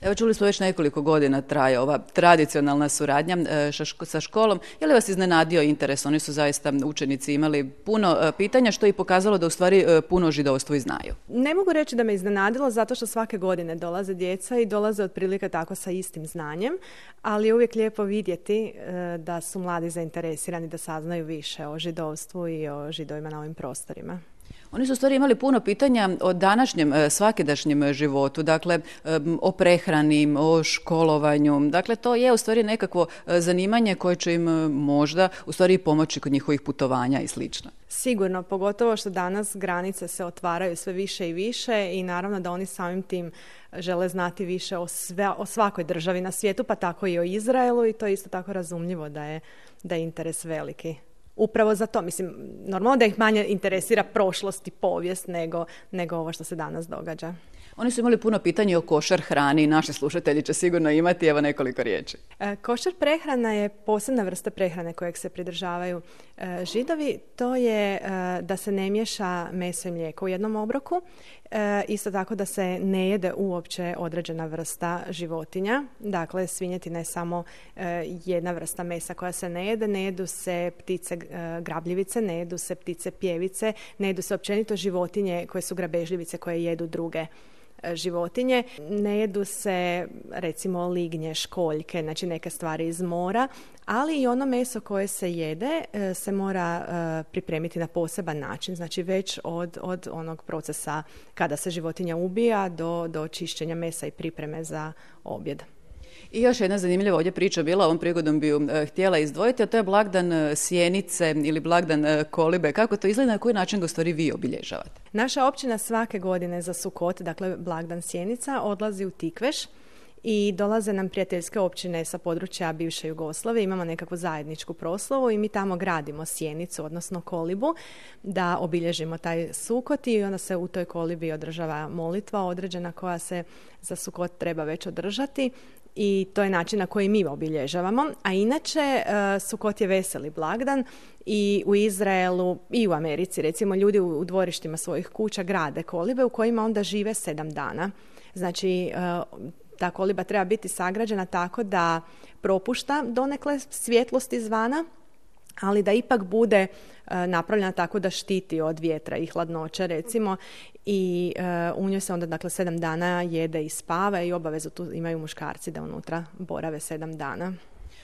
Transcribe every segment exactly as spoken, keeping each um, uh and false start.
Evo čuli smo već nekoliko godina traje ova tradicionalna suradnja e, ša- sa školom. Je li vas iznenadio interes? Oni su zaista učenici imali puno e, pitanja što je i pokazalo da u stvari e, puno o židovstvu i znaju. Ne mogu reći da me iznenadilo zato što svake godine dolaze djeca i dolaze otprilike tako sa istim znanjem, ali je uvijek lijepo vidjeti e, da su mladi zainteresirani da saznaju više o židovstvu i o židovima na ovim prostorima. Oni su u stvari imali puno pitanja o današnjem e, svakidašnjem životu, dakle e, o prehrani, o školovanju. Dakle, to je u stvari nekakvo e, zanimanje koje će im e, možda u stvari i pomoći kod njihovih putovanja i slično. Sigurno, pogotovo što danas granice se otvaraju sve više i više i naravno da oni samim tim žele znati više o, sve, o svakoj državi na svijetu, pa tako i o Izraelu i to je isto tako razumljivo da je, da je interes veliki. Upravo za to, mislim, normalno da ih manje interesira prošlost i povijest nego, nego ovo što se danas događa. Oni su imali puno pitanja o košar hrani i naši slušatelji će sigurno imati, evo nekoliko riječi. E, košar prehrana je posebna vrsta prehrane kojeg se pridržavaju e, židovi. To je e, da se ne miješa meso i mlijeko u jednom obroku. E, isto tako da se ne jede uopće određena vrsta životinja. Dakle, svinjetina je samo e, jedna vrsta mesa koja se ne jede. Ne jedu se ptice e, grabljivice, ne jedu se ptice pjevice, ne jedu se općenito životinje koje su grabežljivice koje jedu druge životinje. Ne jedu se recimo lignje, školjke, znači neke stvari iz mora, ali i ono meso koje se jede se mora pripremiti na poseban način, znači već od, od onog procesa kada se životinja ubija do, do čišćenja mesa i pripreme za objed. I još jedna zanimljiva ovdje priča bila, ovom prigodom bi ju e, htjela izdvojiti, a to je blagdan e, sjenice ili blagdan e, kolibe. Kako to izgleda, na koji način ga u stvari vi obilježavate? Naša općina svake godine za Sukot, dakle blagdan sjenica, odlazi u Tikveš i dolaze nam prijateljske općine sa područja bivše Jugoslavije. Imamo nekakvu zajedničku proslavu i mi tamo gradimo sjenicu, odnosno kolibu, da obilježimo taj Sukot i onda se u toj kolibi održava molitva određena koja se za Sukot treba već održati. I to je način na koji mi obilježavamo. A inače, Sukot je veseli blagdan i u Izraelu i u Americi, recimo, ljudi u dvorištima svojih kuća grade kolibe u kojima onda žive sedam dana. Znači, ta koliba treba biti sagrađena tako da propušta donekle svjetlost izvana, ali da ipak bude napravljena tako da štiti od vjetra i hladnoće, recimo, i uh, u njoj se onda dakle sedam dana jede i spava i obavezu tu imaju muškarci da unutra borave sedam dana.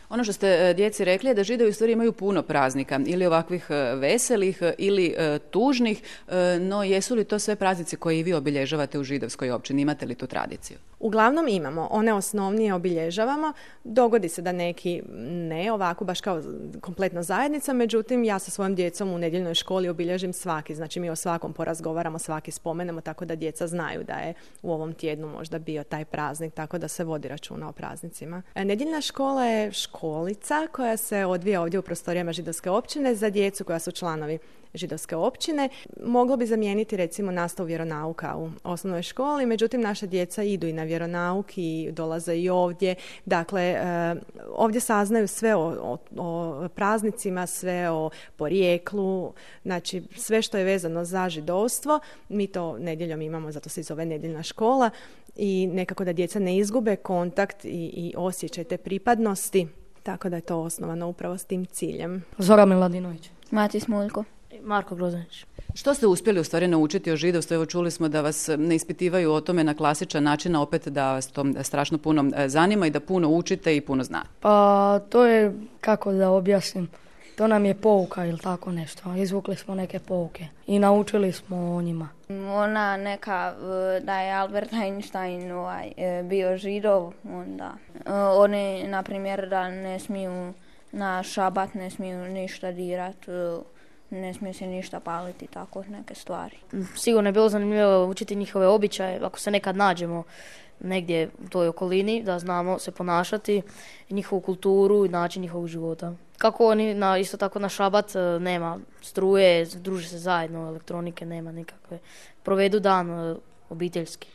Ono što ste djeci rekli je da Židovi u stvari imaju puno praznika, ili ovakvih veselih ili e, tužnih, e, no jesu li to sve praznici koje i vi obilježavate u židovskoj općini? Imate li tu tradiciju? Uglavnom imamo, one osnovnije obilježavamo, dogodi se da neki ne, ovako baš kao kompletna zajednica, međutim ja sa svojom djecom u nedjeljnoj školi obilježim svaki, znači mi o svakom porazgovaramo, svaki spomenemo, tako da djeca znaju da je u ovom tjednu možda bio taj praznik, tako da se vodi računa o praznicima. Nedjeljna škola je školica koja se odvija ovdje u prostorijama židovske općine za djecu koja su članovi židovske općine. Moglo bi zamijeniti recimo nastavu vjeronauka u osnovnoj školi, međutim naša djeca idu i na vjeronauk i dolaze i ovdje. Dakle, ovdje saznaju sve o, o, o praznicima, sve o porijeklu, znači sve što je vezano za židovstvo. Mi to nedjeljom imamo, zato se i zove nedjeljna škola i nekako da djeca ne izgube kontakt i, i osjećaj te pripadnosti, tako da je to osnovano upravo s tim ciljem. Zora Miladinović. Mati Smuljko. Marko Grozanić. Što ste uspjeli u stvari naučiti o židovstvu? Evo čuli smo da vas ne ispitivaju o tome na klasičan način, a opet da vas to strašno puno zanima i da puno učite i puno znate. Pa to je, kako da objasnim, to nam je pouka ili tako nešto. Izvukli smo neke pouke i naučili smo o njima. Ona neka, da je Albert Einstein ovaj, bio židov, onda oni, na primjer, da ne smiju na šabat, ne smiju ništa dirati, ne smije se ništa paliti, tako neke stvari. Sigurno je bilo zanimljivo učiti njihove običaje, ako se nekad nađemo negdje u toj okolini, da znamo se ponašati, njihovu kulturu i način njihovog života. Kako oni, na, isto tako na šabat nema struje, druže se zajedno, elektronike nema nikakve. Provedu dan obiteljski.